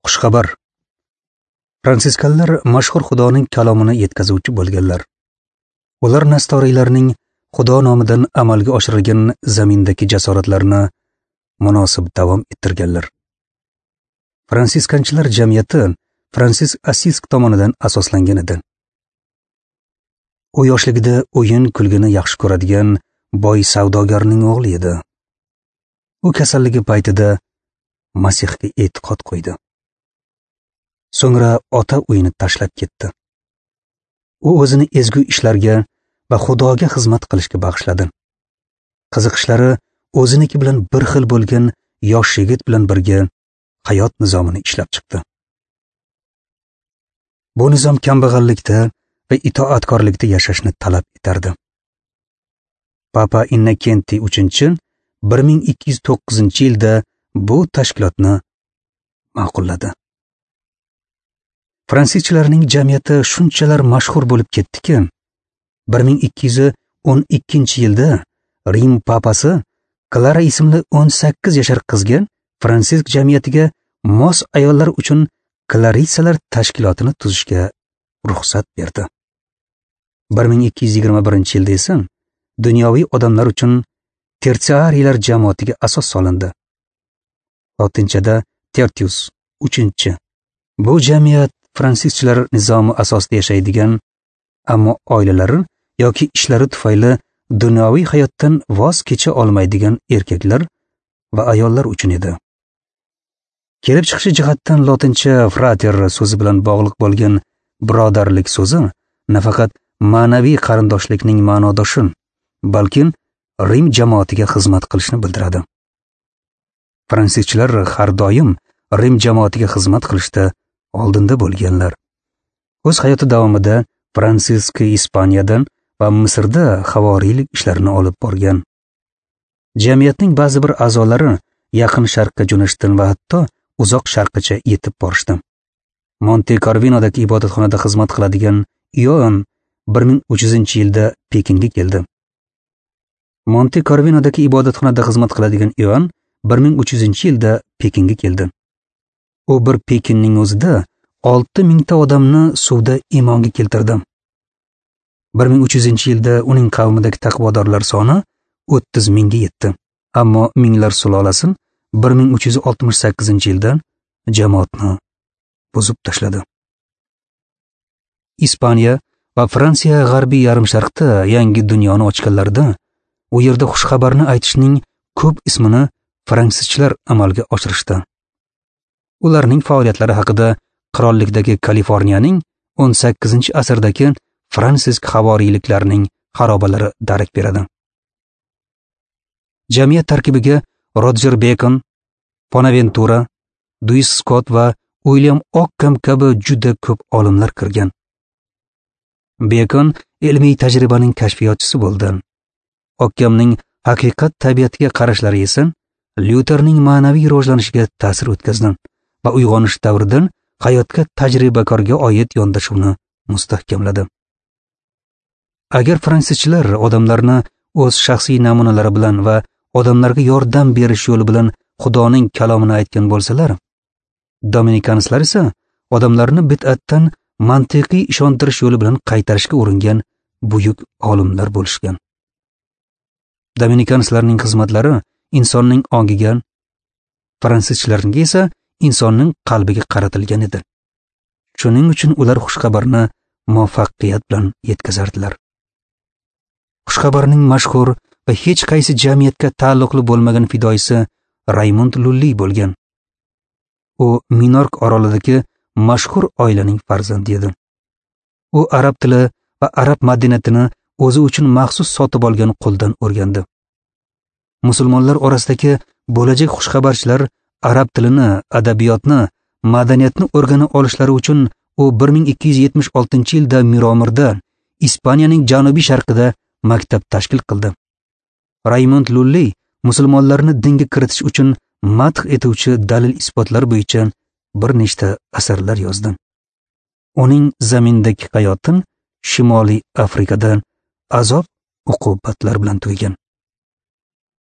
Xushxabar. Fransiskanlar mashhur Xudoning kalomini yetkazuvchi bo'lganlar. Ular nastoriylarning Xudo nomidan amalga oshirilgan zamindagi jasoratlarini munosib davom ettirganlar. Fransiskanchilar jamiyati Fransisk Assisk tomonidan asoslangan edi. U yoshligida o'yin kulgini yaxshi ko'radigan boy savdogarning o'g'li edi. U kasalligi paytida Masihga e'tiqod qo'ydi. So'ngra ota uyini tashlab ketdi. U o'zini ezgu ishlarga va Xudoga xizmat qilishga bag'ishladi. Qiziqishlari o'ziniki bilan bir xil bo'lgan yosh yigit bilan birga hayot nizomini ishlab chiqdi. Bu nizom kambag'allikda va itoatkorlikda yashashni talab etardi. Papa Innokentiy III 1209-yilda bu tashkilotni ma'qulladi. Fransischilarning jamiyati shunchalar mashhur bo'lib ketdiki, 1212-yilda Rim papasi Klara ismli 18 yashar qizga Fransisk jamiyatiga mos ayollar uchun Klarisalar tashkilotini tuzishga ruxsat berdi. 1221-yilda esa dunyoviy odamlar uchun tersiariylar jamoatiga asos solindi. Lotinchada tertius 3. Bu jamiyat fransischilar nizomi asosida yashaydigan, ammo oilalari yoki ishlari tufayli dunyoviy hayotdan voz kecha olmaydigan erkaklar va ayollar uchun edi. Kelib chiqishi jihatdan lotincha frater so'zi bilan bog'liq bo'lgan birodarlik so'zi nafaqat ma'naviy qarindoshlikning ma'nodoshi, balki Rim jamoatiga xizmat qilishni bildiradi. Fransischilar har doim Rim jamoatiga xizmat qilishda oldinda bo'lganlar. O'z hayoti davomida Fransisk Ispaniyadan va Misrda havoriylik ishlarini olib borgan. Jamiyatning ba'zi bir a'zolari Yaqin Sharqqa jo'nashdan va hatto Uzoq Sharqqacha yetib borishdi. Monte Corvinodagi ibodatxonada xizmat qiladigan Ioann 1300-yilda Pekinga keldi. Monte Corvinodagi ibodatxonada xizmat qiladigan Ioann 1300-yilda Pekinga keldi. U bir Pekinning o'zida 6000 ta odamni suvda iymonga keltirdi. 1300-yilda uning qavmidagi taqvodorlar soni 30 mingga yetdi. Ammo minglar sulolasi 1368-yilda jamoatni buzib tashladi. Ispaniya va Fransiya g'arbiy yarimsharqda yangi dunyoni ochganlarida, u yerda xushxabarni aytishning ko'p ismini fransizchilar amalga oshirishdi. Ularning faoliyatlari haqida qirollikdagi Kaliforniyaning 18-asrdagi Fransisk havoriyliklarining xarobalari darak beradi. Jamiyat tarkibiga Roger Bacon, Bonaventura, Duis Scott va Uilyam Okkam kabi juda ko'p olimlar kirgan. Bacon ilmiy tajribaning kashfiyotchisi bo'ldi. Okkamning haqiqat tabiatiga qarashlari esa Lyuterning ma'naviy rivojlanishiga ta'sir o'tkazdi va uyg'onish davridan hayotga tajribakorga oid yondashuvni mustahkamladi. Agar fransizchilar odamlarni o'z shaxsiy namunalari bilan va odamlarga yordam berish yo'li bilan Xudoning kalomini aytgan bo'lsalar, dominikanslar esa odamlarni bid'atdan mantiqiy ishontirish yo'li bilan qaytarishga uringan buyuk olimlar bo'lishgan. Dominikanslarning xizmatlari insonning ongiga, fransizchilarning esa insonning qalbiga qaratilgan edi. Shuning uchun ular xushxabarni muvaffaqiyat bilan yetkazardilar. Xushxabarning mashhur va hech qaysi jamiyatga taalluqli bo'lmagan fidoyisi Raymond Lulli bo'lgan. U Minork orolidagi mashhur oilaning farzandi edi. U arab tili va arab madaniyatini o'zi uchun maxsus sotib olgan quldan o'rgandi. Musulmonlar orasidagi bo'lajak xushxabarchilar arab tilini, adabiyotni, madaniyatni o'rgana olishlari uchun u 1276-yilda Miromirda, Ispaniyaning janubiy sharqida maktab tashkil qildi. Raymond Lulli musulmonlarni dinga kiritish uchun madh etuvchi dalil isbotlar bo'yicha bir nechta asarlar yozdi. Uning zamindagi hayoti Shimoliy Afrikada azob uqubatlar bilan tugagan.